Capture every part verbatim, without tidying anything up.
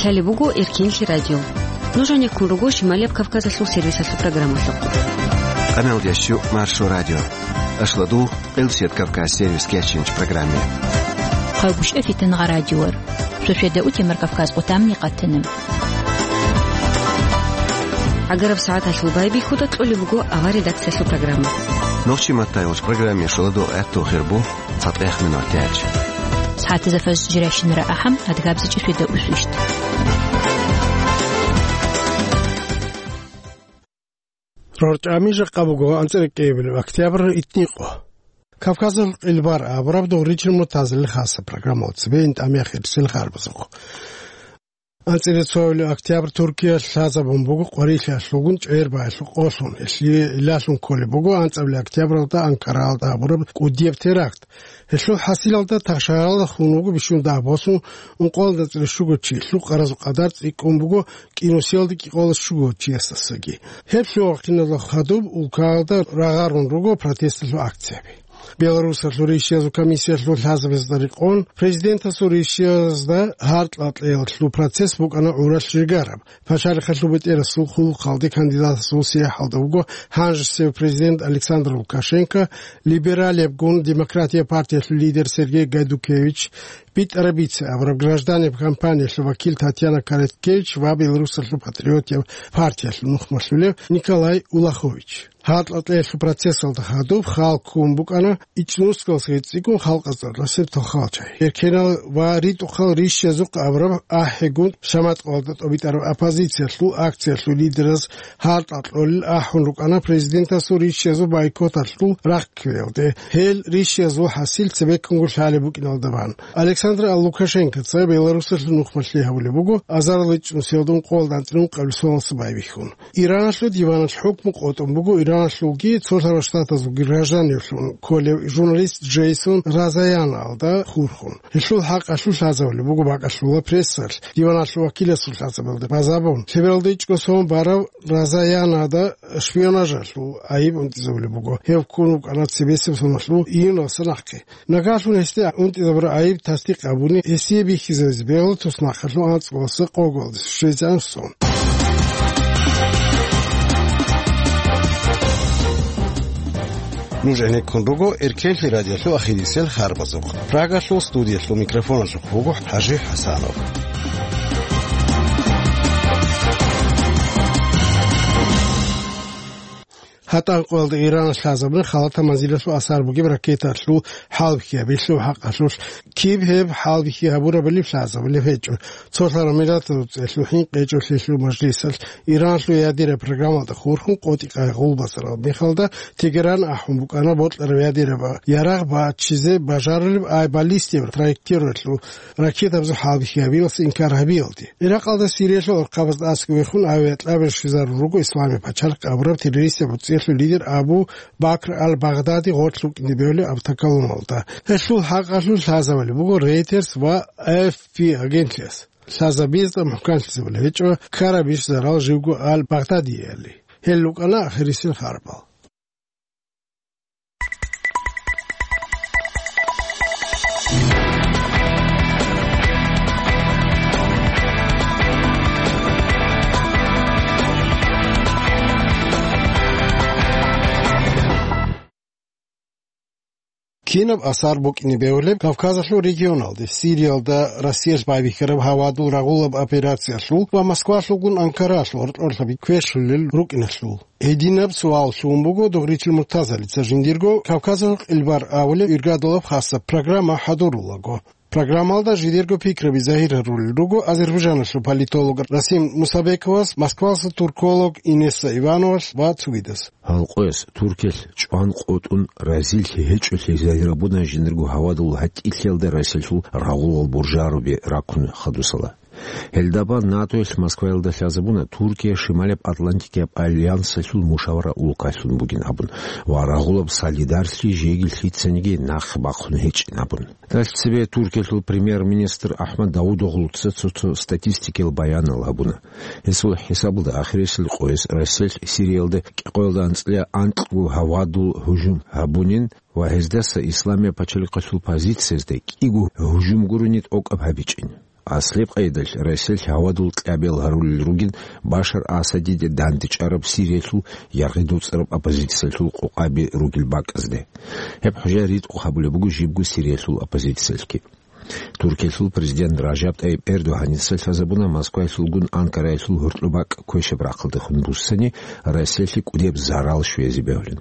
Лъалеб буго Эркенлъи радио. Нуж гьанеккун руго Шималияб Кавказалъул сервисалъул программалъухъ. Къамел ящу Маршо радио. Ашладу Къилсият Кавказ сервис кечинч программе. Хъалгушев Фитнагъа радиор. Шошеда утемар Кавказ къутамни къатанам. Агараб сагӀаталъул байбихьуда кьолеб буго ава редакциялъул программа. Нохчи маттайулч программе шоладу гӀатту хирбу. ЦатӀех минутач. СагӀатазда фажр жирайщинара ахӀам, адгабзичӀеб шведа усвищт. РорчӀами жакъа буго анцӀила кӀиабилеб октябрь итникъо. Кавказалъул къилбар абураб дугъричил мутазилил хаса программал цебе ин тӀамияхъ ирсил харбазухъ. АнцӀила цоабилеб октябрь Туркиялъ лъазабун буго къварилъиялъулгун чӀегӀер баялъул къолъун, гьелъие илалъун кколеб буго анцӀабилеб октябралда Анкараялда гьабураб кӀудияб теракт. Гьелъул хӀасилалда тахшагьаралда хун вуго бищун дагь босун ункъоялда анцӀила щуго чи, лъукъаразул къадар цӀикӀкӀун буго кӀинусиялда кӀикъоялда щуго чиясдасаги. Гьеб лъугьа-хъиналда хадуб улкаялда рагъарун руго протесталъул акцияби. Беларусалъул ришиязул комиссиялъул лъазабазда рекъон, президентасул ришиязда гьаркьа-кьеялъул процесс букӀана гӀуралъ жигараб. Пачалихъалъул бетӀерасул хъулухъалде кандидатасул сияхӀалда вуго гьанжесев президент Александр Лукашенко, либералиябгун Демократия партиялъул лидер Сергей Гайдукевич, БитӀарабица абураб гражданиб кампаниялъул вакил Татьяна Короткевич ва Беларусалъул патриотияб партиялъул нухмалъулев Николай Улахович. Гьаркьа-кьеялъул процессалда хадуб хал ккун букӀана ичӀнусгалъги цӀикӀкӀун халкъазда ралъасеб тохалчагӀи. Эркенал ва ритӀухъал ришиязухъ абураб ахӀигун шаматкъалда тӀобитӀараб оппозициялъул акциялъул лидераз гьаркьа кьолел ахӀун рукӀана президентасул ришиязул бойкоталъул рахъ кквеялде, гьел ришиязул хӀасил цебеккунго лъалеб букӀиналда бан. Александр Лукашенкоца Беларусалъул нухмалъе гьабулеб буго азарилчӀнусиялда ункъоялда анцӀила ункъабилеб соналъ байбихьун. Ираналъул диваналъ хӀукму къотӀун буго Ираналъулги Цолъарал Штатазулги гражданивлъун кколев журналист Джейсон Розаянаялда хурхун. Гьелъул хӀакъалъулъ лъазабулеб буго бакӀалъула прессалъ диваналъул вакиласул лъазабалда базабун, лъебералда ичӀго сон барав Розаянада шпионажалъул гӀайиб унтӀизабулеб буго. Гьев ккун вукӀана цебесеб соналъул июналъ нахъе. Нагагьлъун гьесде унтӀизабураб гӀайиб тасдикъ гьабуни, гьесие бихьизабизе бегьула туснахъалъул анцӀгоялдаса къоялде щвезегӀан сон. Нуж гӀенеккун руго Эркенлъи радиолъул ахирисел харбазухъ. Прагалъул студиялъул микрофоналъухъ буго ХӀажи ХӀасанов. ГьатӀан къоялда Иран лъазабуна халатаб манзилалъул асар бугеб ракеталъул хӀалбихьи гьабиялъул хӀакъалъулъ. Киб гьеб хӀалбихьи гьабурабали лъазабулеб гьечӀо. Цолъарал Миллатазул ЦӀелъул хӀинкъи гьечӀолъиялъул мажлисалъ Иранлъул ядераб программалда хурхун къотӀи-къайгъул базарал мехалда Тегеран ахӀун букӀана бокьараб ядераб ярагъ баччизе бажарулеб ай баллистияб траекториялъул ракетабазул хӀалбихьи гьабиялъул инкар гьабиялде. Иракъалда Сириялъул архъабазда аскӀовехун авиакьабил щвезарун руго Исламияб пачалихъ абураб террористияб гӀуцӀиялъул лидер Абу Бакр ал-Багъдади гъорлъ вукӀине бевлеб автоколонналда. Гьелъул хӀакъалъулъ лъазабулеб буго Reuters ва Эй Эф Пи агентлъияс. Лъазабиязда мухӀканлъизабулеб гьечӀо ккарабищ зарал живго ал-Багъдадиялъе. Гьел рукӀана ахирисел харбал. Кинаб асар букӀине бегьулеб Кавказалъул регионалде, Сириялда Россиялъ байбихьараб гьавадул рагъулаб операциялъул ва Москвалъулгун Анкаралъул гьоркьорлъаби квешлъулел рукӀиналъул? Гьединаб суал лъугьун буго Дугъричил Муртазалица жиндирго Кавказалъул къилбар абулеб иргадулаб хасаб программа хӀадурулаго. Программалда жидерго пикраби загьир гьарулел руго Азербайджаналъул политолог Расим Мусабековас, Москвалъа турколог Инесса Ивановалъ ва цогидас. Гьал къояс Туркиялъ чӀван къотӀун разилъи гьечӀолъи загьир гьабуна жиндирго гьавадул гьатӀилъиялда Россиялъул рагъулал буржаруби раккун хадусала. Гьелдабан НАТОялъ Москваялда лъазабуна Туркия Шималияб Атлантикияб альянсалъул мушавара улкалъун бугин абун ва рагъулаб солидарли жеги лъицаниги нахъ бахъун гьечӀин абун. Дальцеве Туркиялъул премьер-министр Ахмад Давудоглуца цо-цо статистикиял баянал гьабуна. Гьесул хӀисабалда ахирисел къояс Россиялъ Сириялда кӀикъоялда анцӀила анкьго гьавадул гьужум гьабунин ва гьездаса Исламияб пачалихъалъул позициязда кӀиго гьужум гурони тӀокӀаб гьабичӀин. Аслеб къайдалъ Россиялъ гьавадул кьабиял гьарулел ругин Башар Асадиде дандечӀараб Сириялъул яргъи доцӀараб оппозициялъул къокъаби ругел бакӀазде. Гьеб хӀужа ритӀухъ гьабулеб буго жибго Сириялъул оппозициялъги. Туркиялъул президент Ражаб ТӀайиб Эрдогьаница лъазабуна Москваялъулгун Анкараялъул гьоркьоб бакӀ квешаб рахъалдехун буссани Россиялъе кӀудияб зарал щвезе бегьулин.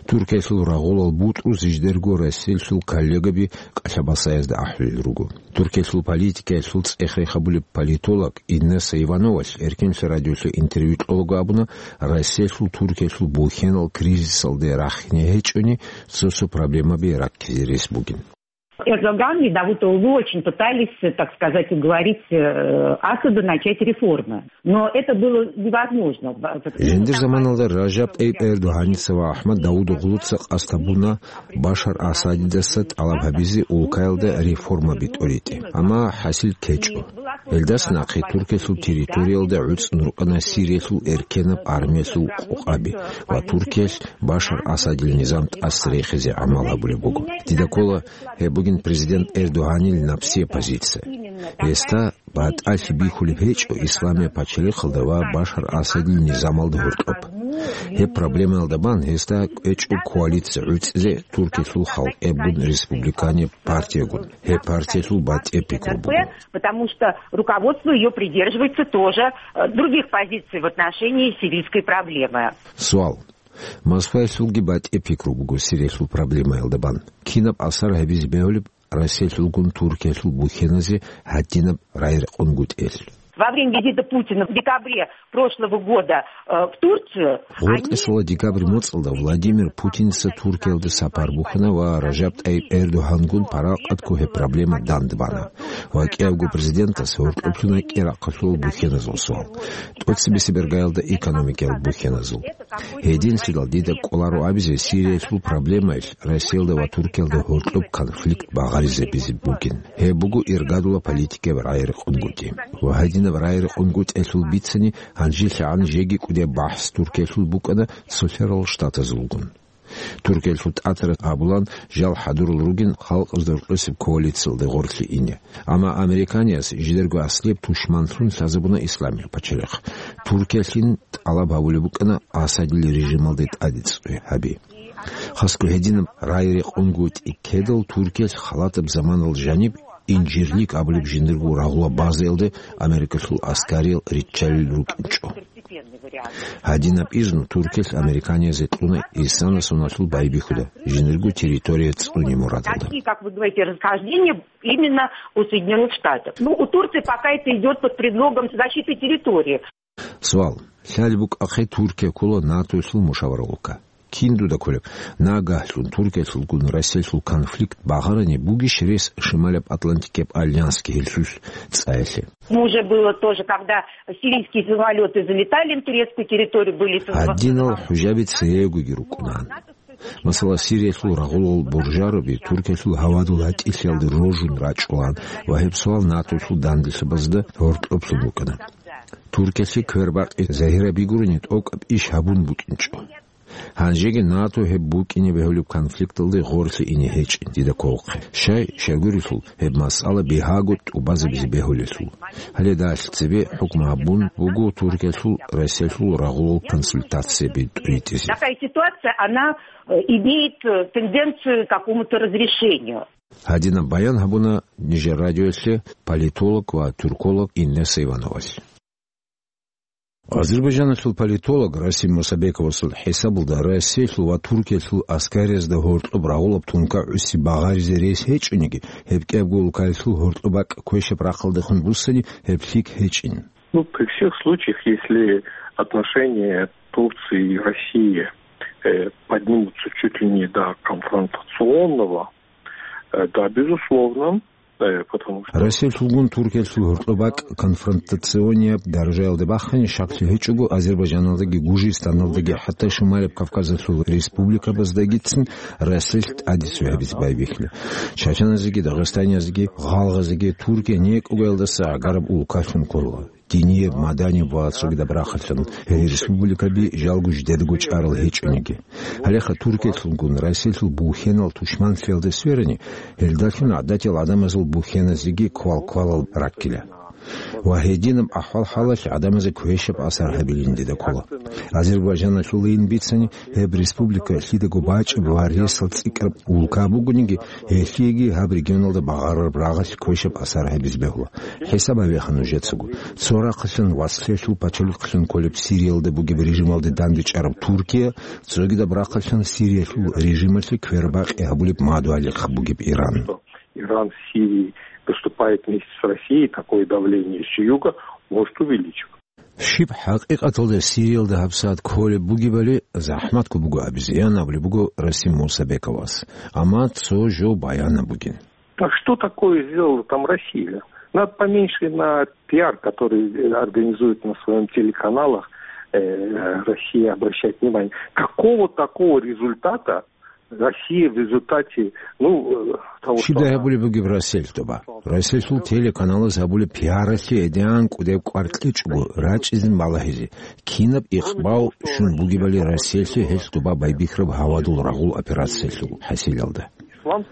Туркиялъул рагъулал бутӀрузеги жидерго Россиялъул коллегаби кӀалъабасаязда ахӀулел руго. Туркиялъул политикаялъул цӀех-рех гьабулеб политолог Инесса Ивановалъ Эркенлъи радиолъе интервью кьолаго абуна, Россиялъул Туркиялъул бухьенал кризисалде рахине гьечӀони, цо-цо проблемаби раккизе рес бугин. Эрдоган и Давутоглу очень пытались, так сказать, уговорить, э, Асада начать реформы. Но это было невозможно. Жиндир заманалда Ражаб ТӀайиб Эрдогьаница ва АхӀмад Давутоглуца къасд гьабуна Башар Асадидаса тӀалаб гьабизе улкаялда реформаби тӀоритӀе. Амма хӀасил ккечӀо. Гьелдаса нахъе Туркиялъул территориялда гӀуцӀун рукӀана Сириялъул эркенаб армиялъул къокъаби ва Туркиялъ Башар Асадил низам тӀаса рехизе гӀамал гьабулеб буго. Дида ккола, гьеб бугин президент Эрдогьанил напсияб позиция. Гьесда батӀалъи бихьулеб гьечӀо исламияб пачалихъалда ва Башар Асадил низамалда гьоркьоб. Гьеб проблемаялда бан гьесда кӀвечӀо коалиция гӀуцӀизе Туркиялъул халкъиябгун республиканияб партиягун. Гьеб партиялъул батӀияб пикру буго. Потому что руководство её придерживается тоже, э, других позиций в отношении сирийской проблемы. Суал. Москваялъулги батӀияб пикру буго Сириялъул проблемаялда бан. Кинаб асар гьабизе бегьулеб Россиялъулгун Туркиялъул бухьеназе гьадинаб рагӀи-рекъонгутӀиялъ? Во время визита Путина в декабре прошлого года, э, в Турцию, они... Гъоркьесала декабрь моцӀалда Владимир Путинца Туркиялда сапар бухьана ва Ражаб ТӀайиб Эрдогьангун паракъатго гьеб проблема дандбана. Ва кӀиябго президентас гьоркьоблъун кьерахъалъула бухьеназул суал. ТӀоцебесеб иргаялда экономикаялъул бухьеназул. Гьединлъидал дида кӀоларо абизе Сириялъул проблемаялъ Россиялда ва Туркиялда гьоркьоб конфликт багъаризабизе бугин. Гьеб буго иргадула политикаяб рагӀи-рекъонгутӀи. Ва гьадинаб рагӀи-рекъонгутӀиялъул бицани гьанжелъагӀан жеги кӀудияб бахӀс Туркиялъул букӀана Цолъарал Штатазулгун. Туркиялъул тӀатараз абулан, жал хӀадурал ругин халкъазда рокьосеб коалициялде гъорлъе ине. Амма американиязги жидерго аслияб тушманлъун лъазабуна исламияб пачалихъ. Туркиялъин тӀалаб гьабулеб букӀана Асадил режималде тӀаде цӀуй гьаби. Хасго гьединаб рагӀи-рекъонгутӀи ккедал Туркиялъ халатаб заманалда жаниб Инжирлик абулеб жиндирго рагъула базаялде Америкалъул аскариял риччалел рукӀинчӀо. Гьадинаб изну Туркиялъ американиязде кьуна исана соналъул байбихьуда, жиндирго территория цӀуне мурадалда. Такие, как вы говорите, расхождения именно у Соединённых Штатов. Ну, у Турции пока это идёт под предлогом защиты территории. Суал. Лъалеб букӀахъе Туркия ккола НАТОялъул мушаваралъука. Кин дуда кколеб, нагагьлъун Туркиялъулгун Россиялъул конфликт багъарани бугищ рес Шималаб Атлантикияб альянсги гьелъулъ цӀаялъе? Ну, уже было тоже, когда сирийские самолёты залетали на турецкую территорию, были... Гьадинал хӀужаби цеегоги рукӀунаан. Масала, Сириялъул рагъулал буржароби Туркиялъул гьавадул гьатӀилъиялде рожун рачӀулаан ва гьеб суал НАТОялъул данделъабазда гьоркьоблъун букӀана. Туркиялъе квербакъи загьираб бигурани тӀокӀаб иш гьабун букӀинчӀо. Гьанжеги НАТО гьеб букӀине бегьулеб конфликталде гъорлъе ине гьечӀин дида кколхъе. Щай, щайгурелъул, гьеб масъала бигьаго тӀубазабизе бегьулелъул. Гьале далъ цебе хӀукму гьабун буго Туркиялъул Россиялъул рагъулал консультацияби тӀуритӀизе. Такая ситуация, она, э, имеет, э, тенденцию к какому-то разрешению. Гьадинаб баян гьабуна нижер радиоялъе политолог ва тюрколог Инесса Ивановалъ. Азербайджаналъул политолог Расим Мусабековасул хӀисабалда, Россиялъул ва Туркиялъул аскариязда гьоркьоб рагъулаб тункагӀуси багъаризе рес гьечӀониги, гьеб кӀиябго улкаялъул гьоркьоб бакӀ квешаб рахъалдехун буссани, гьеб лъикӀ гьечӀин. Ну, при всех случаях, если отношения Турции и России, э, поднимутся чуть ли не до конфронтационного, э, да, безусловно, э, потому что... Россиялъулгун Туркиялъул гьоркьоб бакӀ конфронтационияб даражаялде бахъани, щаклъи гьечӀого, Азербайджаналдаги, Гужистаналдаги, хӀатта Шималаб Кавказалъул республикабаздагицин Россиялъ тӀаде цӀуй гьабизе байбихьила. Чачаназеги, дагъистаниязеги, гъалгъазеги Туркия некӀугаялдаса гӀагараб улкалъун ккола. динияб, маданияб ва цогидаб рахъалъан, гьел республикаби жалго жидедаго чӀарал гьечӀониги. Гьалеха Туркиялъулгун Россиялъул бухьенал тушманлъиялде сверани, гьелдалъун гӀадатиял гӀадамазул бухьеназеги квал-квалал раккила. Ва гьединаб ахӀвал-хӀалалъ гӀадамазе квешаб асар гьабилин дида ккола. Азербайджаналъулайин бицани, гьеб республика лъидаго бачӀеб ва ресал цӀикӀкӀараб улка бугониги, гьелъиеги гьаб регионалда багъарараб рагъалъ квешаб асар гьабизе бегьула. ХӀисаб гьабеха нужецаго. Цо рахъалъан вацлъиялъул пачалихълъун кколеб Сириялда бугеб режималде дандечӀараб Туркия, цогидаб рахъалъан Сириялъул режималъе квербакъи гьабулеб мадугьалихъ бугеб Иран. Иран в Сирии выступает вместе с Россией, такое давление с юга может увеличиваться. Щиб хӀакъикъаталда Сириялда гьабсагӀат кколеб бугебали захӀматго буго абизе, ян абулеб буго Расим Мусабековас. Амма цо жо баянаб бугин. А что такое сделала там Россия? Надо поменьше на пиар, который организует на своем телеканалах, э, Россия, обращать внимание. Какого такого результата Россия в результате, ну, э, того, что Щибдай она гьабулеб бугеб Россиялъ тоба? Россиялъул телеканалаз гьабулеб пиаралъе гӀедегӀан кӀудеб кӀвар кьечӀого рачӀизин балагьизе, кинаб икъбал щун бугебали Россиялъе гьелъ тоба байбихьараб гьавадул рагъул операциялъул хӀасилалда.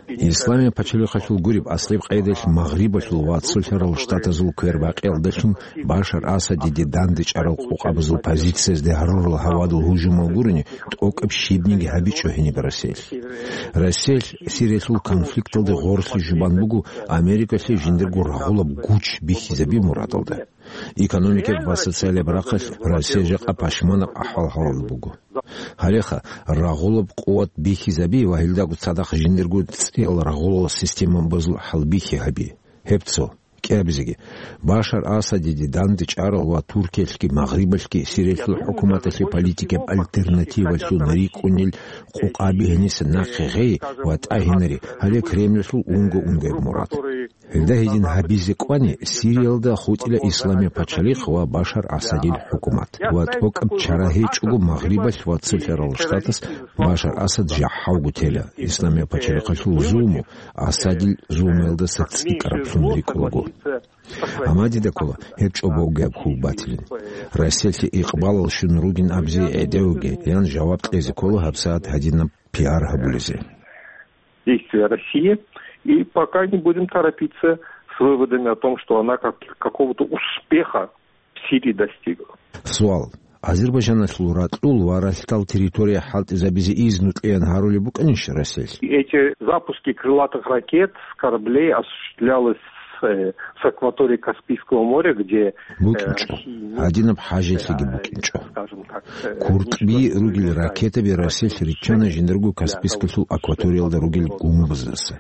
Исламияб пачалихъалъул гуреб аслеб къайдалъ Магърибалъул ва Цолъарал Штатазул квербакъиялдалъун Башар Асадиде дандечӀарал къокъабазул позициязде гьарурал гьавадул гьужумал гурони, тӀокӀаб щибниги гьабичӀо гьениб Россиялъ. Россиялъ Сириялъул конфликталде гъорлъи жубан буго Америкалъе жиндирго рагъулаб гуч бихьизаби мурадалда. Экономикаб ва социалияб рахъалъ Россия жакъа пашманаб ахӀвал-хӀалалда буго. Гьалеха, рагъулаб къуват бихьизаби ва гьелдаго цадахъ жиндирго цӀиял рагъулал системабазул хӀалбихьи гьаби. Гьеб цо. КӀиабизеги, Башар Асадиде дандечӀарал ва Туркиялъги Магърибалъги Сириялъул хӀукуматалъе политикаб альтернативалъун рикӀкӀунел къокъаби гьениса нахъе гъей ва тӀагьинари гьале Кремльалъул унго-унгояб мурад. Гьелда гьедин гьабизе кӀвани, Сириялда хутӀила Исламияб пачалихъ ва Башар Асадил хӀукумат ва тӀокӀаб чара гьечӀого Магърибалъ ва Цолъарал Штатас Башар Асад жахӀалго тела, Исламияб пачалихъалъул зулму Асадил зулмуялдаса цӀикӀкӀараблъун рикӀкӀулаго. Амма дида ккола, гьеб чӀобогияб хьул батилин. Россиялъе икъбалал щун ругин абизе гӀедегӀуги, ян жаваб кьезе ккола гьабсагӀат гьадинаб пиар гьабулезе. Действия России, и пока не будем торопиться с выводами о том, что она как, какого-то успеха в Сирии достигла. Суал. Азербайджаналъул ракьул ва ралъдал территория хӀалтӀизабизе изну кьеян гьарулеб букӀанищ Россиялъ? Эти запуски крылатых ракет с кораблей осуществлялось, э, с акватории Каспийского моря, где, э, БукӀинчӀо. Россия не Гьадинаб хӀажалъиги букӀинчӀо. Скажем так, э, КуртӀби ничего ругел не ракетаби Россиялъ риччана жиндирго Каспийскалъул акваториялда ругел гумбаздаса.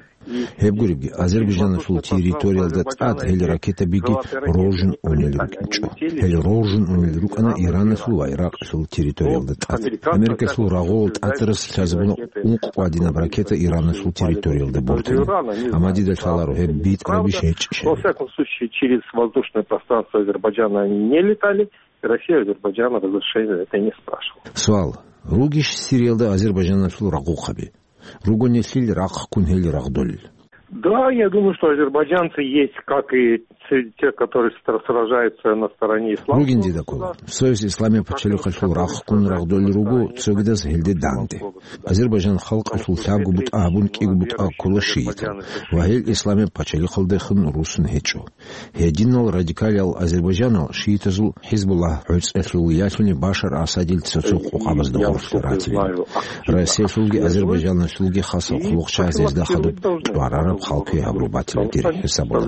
Гьеб гуребги, Азербайджаналъул территориялда тӀад гьел ракетабиги роржун унел рукӀинчӀо. Гьел роржун унел рукӀана Ираналъул ва Иракъалъул территориялда тӀад. Америкалъул рагъул тӀатарас лъазабуна ункъ гьадинаб ракета Ираналъул территориялда бортани. Амма дида лъаларо гьеб битӀарабищ гьечӀищали. Во всяком случае, через воздушное пространство Азербайджана они не летали, и Россия Азербайджана разрешения это не спрашивала. Суал. Ругищ Сириялда Азербайджаналъул рагъухъаби? Ругонилъил рахъ ккун гьел рагъдолел. Да, я думаю, что азербайджанцы есть, как и те, те, которые стра-, сражаются на стороне исламского Ругин дида ккола. государства. Цояс Исламияб пачалихъалъул рахъ ккун рагъдолел руго, цогидаз гьелде данде. Азербайджан халкъалъул лъабго бутӀа гьабун кӀиго бутӀа ккола шиитал, ва гьел Исламияб пачалихъалдехун русун гьечӀо. Гьединал радикалиял азербайджанал шиитазул ХӀизбуллагь гӀуцӀелъул ялъуни Башар Асадил цо-цо къокъабазда гъорлъ ратилин. Россиялъулги Азербайджаналъулги хасал хъулухъчагӀаз гьезда хадуб тӀварараб халкуе гьабураб батила дир хӀисабала.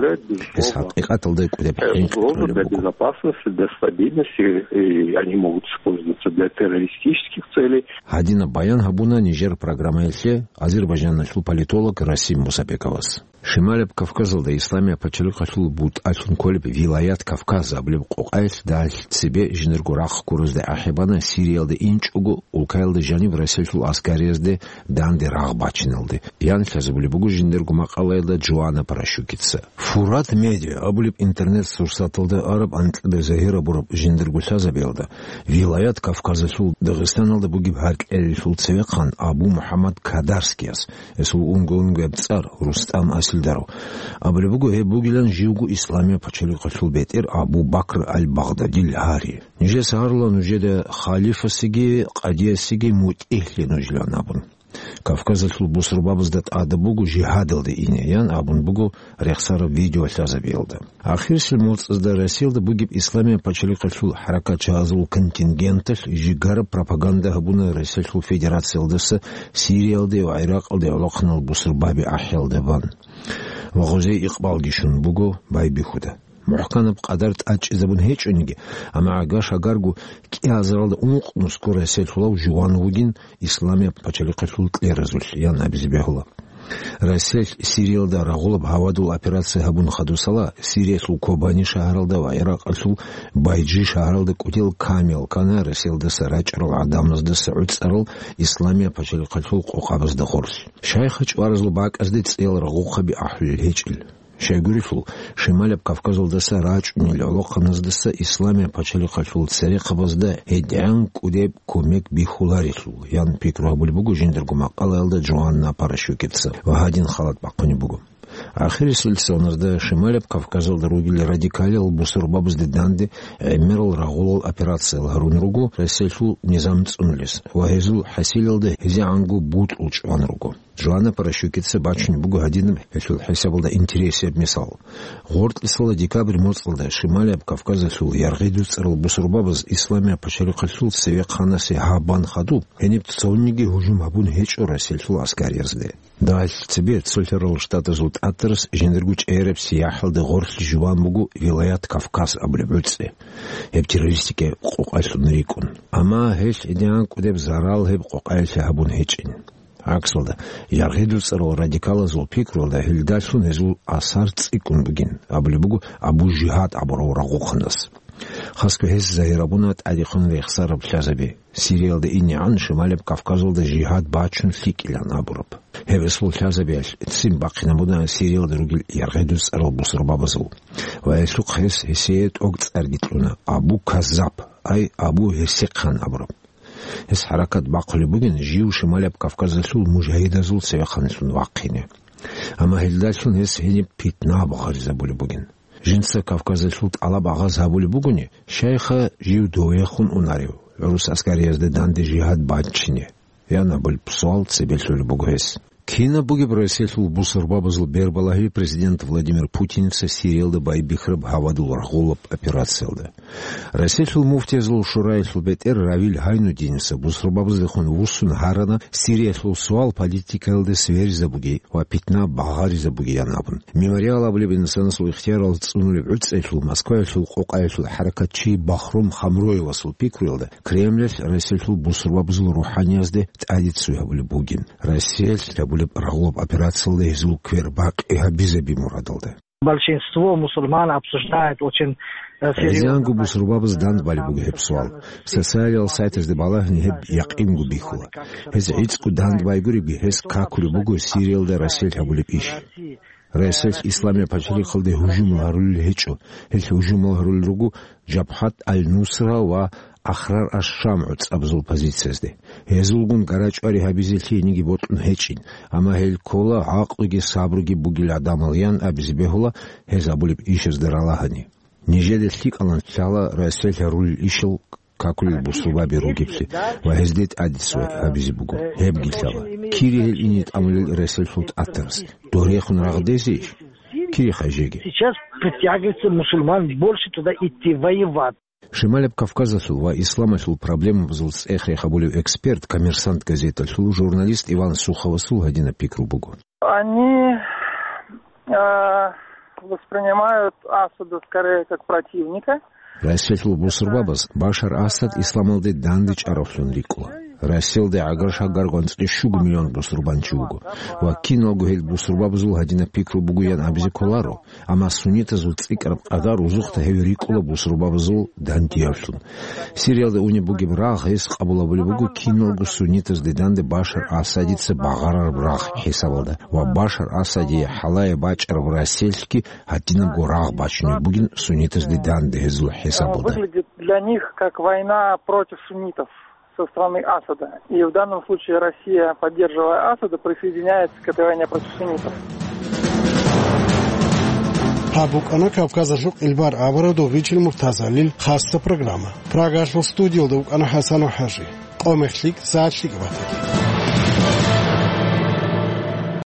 Гьес хӀакъикъаталда кӀудеб хӀинкъи кьолеб буго. Безопасности, для стабильности, и они могут использоваться для террористических целей. Гьадинаб баян гьабуна нижер программаялъе Азербайджаналъул политолог Расим Мусабековас. Шималаб Кавказалда Исламияб пачалихъалъул бутӀалъун кколеб Вилаят Кавказ абулеб къокъаялъ далъ цебе жиндирго рахъ гуразда ахӀи бана Сириялда инчӀого улкаялда жаниб Россиялъул аскариязде данде рагъ бачиналде, ян лъазабулеб буго жиндирго макъалаялда Джоанна Паращукица. Фурат Медиа абулеб интернет-сурсаталда араб анкьида загьир абураб жиндирго лъазабиялда, Вилаят Кавказалъул Дагъистаналда бугеб гьаркьелелъул цевехъан Абу МухӀаммад Кадарскияс, гьесул унго-унгояб цӀар Рустам Аслан Илдаров. Абулеб буго, гьеб бугилан живго Исламияб пачалихъалъул бетӀер Абу Бакр аль-Багъдадил гьари. Нижеца гьарула нужеда халифасеги къадиясеги мутӀигьлъи нужилан абун. Кавказалъул бусурбабазда тӀада буго жигьадалде ине, ян абун буго рехсараб видеолъазабиялда. Ахирисел моцӀазда Россиялда бугеб Исламияб пачалихъалъул хӀаракатчагьазул контингенталъ жигараб пропаганда гьабуна Россиялъул Федерациялдаса Сириялде ва ГӀиракъалде гӀолохъанал бусурбаби ахӀиялда бан. Ва гъозие икъбалги щун буго байбихьуда. МухӀканаб къадар тӀадчӀезабун гьечӀониги, амма гӀага-шагарго кӀиазаралда ункънусго Россиялъулав жуван вугин Исламияб пачалихъалъул кьеразулъ, ян абизе бегьула. Россиялъ Сириялда рагъулаб гьавадул операция гьабун хадусала, Сириялъул Кобани шагьаралда ва ГӀиракъалъул Байжи шагьаралда кӀудиял камиял ккана Россиялдаса рачӀарал гӀадамаздаса гӀуцӀарал Исламияб пачалихъалъул къокъабазда гъорлъ. Шайха чӀваразул бакӀазде цӀиял рагъухъаби ахӀулел гьечӀел. Щайгурелъул, Шималияб Кавказалдаса рачӀунел гӀолохъаназдаса Исламияб пачалихъалъул церехъабазда гьедигӀан кӀудеб кумек бихьуларелъул, ян пикру гьабулеб буго жиндирго макъалаялда Джоанна Паращукица ва гьадин халат бахъунеб буго. Ахирисел соналда Шималияб Кавказалда ругел радикалиял бусурбабазде данде гӀемерал рагъулал операциял гьарун руго Россиялъул низам цӀунулес ва гьезул хӀасилалда гьезегӀанго бутӀрул чӀван руго. Джоанна Паращукица бачунеб буго гьадинаб гьелъул хӀисабалда интересияб мисал. Гъоркьисала декабрь моцӀалда Шималияб Кавказалъул яргъи дуцӀарал бусурбабаз Исламияб пачалихъалъул цевехъанасе гьаб бан хадуб, гьениб цониги гьужум гьабун гьечӀо Россиялъул аскариязде. Дагьалъ цебе Цолъарал Штатазул тӀатарас жиндирго чӀегӀераб сияхӀалда гъорлъ жуван буго Вилаят Кавказ абулеб гӀуцӀи, гьеб террористикаяб къокъалъун рикӀкӀун. Амма гьелъ гьедигӀан кӀудеб зарал гьеб къокъаялъе гьабун гьечӀин. ГӀаксалда, яргъи дуцӀарал радикалазул пикруялда гьелдалъун гьезул асар цӀикӀкӀун бугин, абулеб буго Абу Жигьад абурав рагъухъанас. Хасго гьес загьир гьабуна тӀадехун рехсараб лъазаби. Сириялда инегӀан Шималияб Кавказалда жигьад бачун лъикӀилан абураб. Гьеб эсул лъазабиялъ ццин бахъинабуна Сириялда ругел яргъи дуцӀарал бусурбабазул. Ва гьелъухъ гьес гьесие тӀок цӀарги кьуна, Абу Каззаб, ай Абу Гьерсихъан абураб. Гьес хӀаракат бахъулеб бугин жив Шималияб Кавказалъул мужагьидазул цевехъанлъун вахъине. Амма гьелдалъун гьес гьениб питна багъаризабулеб бугин. Жинца Кавказалъул тӀалаб агъаз гьабулеб бугони, шайха жив довехун унарев, гӀурус аскариязда данде жигьад бачине? Ян абулеб суал цебе лъолеб буго гьес. Кинаб бугеб Россиялъул бусурбабазул бербалагьи президент Владимир Путинца Сириялда байбихьараб гьавадул рагъулаб операциялда? Россиялъул муфтиязул шураялъул бетӀер Равил Гьайнуддиница бусурбабаздехун вуссун гьарана Сириялъул суал политикаялда сверизабуги ва питна багъаризабугиян абун. Мемориал абулеб инсанасул ихтиярал цӀунулеб гӀуцӀиялъул Москваялъул къокъаялъул хӀаракатчи Бахром Хамроевасул пикруялда, Кремлялъ Россиялъул бусурбабазул рухӀаниязде тӀадиццуй гьабулеб бугин, Россиялъ гьабулеб рагъулаб операциялда гьезул квер бакъи гьабизаби мурадалда. Большинство мусульман обсуждает очень, э, серьёзно. Гьезианго бусурбабаз дандбалеб буго гьеб суал. Социалиял сайтазде балагьани гьеб якъинго бихьула. Гьез гӀицӀго дандбайгуребги гьес какулеб буго Сириялда Россиялъ гьабулеб иш. Россиялъ Исламияб пачалихъалде гьужумал гьарулел гьечӀо. Гьелъ гьужумал гьарулел руго Жабхат аль-Нусра ва Ахрар аш-Шам гӀуцӀабазул позициязде. Гьезулгун гарачӀвари гьабизе лъиениги бокьун гьечӀин, амма гьел ккола гӀакълуги сабруги бугел гӀадамал, ян абизе бегьула гьез абулеб ишазда ралагьани. Нижеда лъикӀалан лъала Россиялъ гьарулел ишал какулел бусурбаби ругеблъи ва гьезде тӀадиццуй гьабизе буго. Гьебги лъала. Кири гьел ине тӀамулел Россиялъул тӀатарас? Дорехун рагъдезейищ? Кири хай жеги. Сейчас притягивается мусульман больше туда идти воевать. Шималаб Кавказалъул ва исламалъул проблемабазул цӀех рехабулев эксперт «Коммерсант» газеталъул журналист Иван Суховасул гьадинаб пикру буго. Они, э, воспринимают Асада скорее как противника. Россиялъул бусурбабаз Башар Асад исламалде дандечӀаравлъун рикӀкӀула. Россиялда гӀагар-шагар гъанцӀи щуго миллион бусурбанчи вуго. Ва киналго гьел бусурбабазул гьадинаб пикру бугоян абизе кколаро, амма суннитазул цӀикӀкӀараб къадар рузухъда гьев рикӀкӀула бусурбабазул дандиявлъун. Сириялда унеб бугеб рагъ гьес къабул гьабулеб буго киналго суннитазде данде Башар Асадица багъарараб рагъ хӀисабалда ва Башар Асадие хӀалае бачӀараб Россиялъги гьадинабго рагъ бачунеб бугин суннитазде данде гьезул хӀисабалда. Выглядит для них как война против суннитов со стороны Асада. И в данном случае Россия, поддерживая Асада, присоединяется к этой войне против суннитов. Гьаб букӀана Кавказалъул къилбар абураб Дугъичил Муртазалил хасса программа. Прагалъул студиялда вукӀана ХӀасан ва ХӀажи. Къо мех лъикӀ, сагӀат лъикӀ батаги.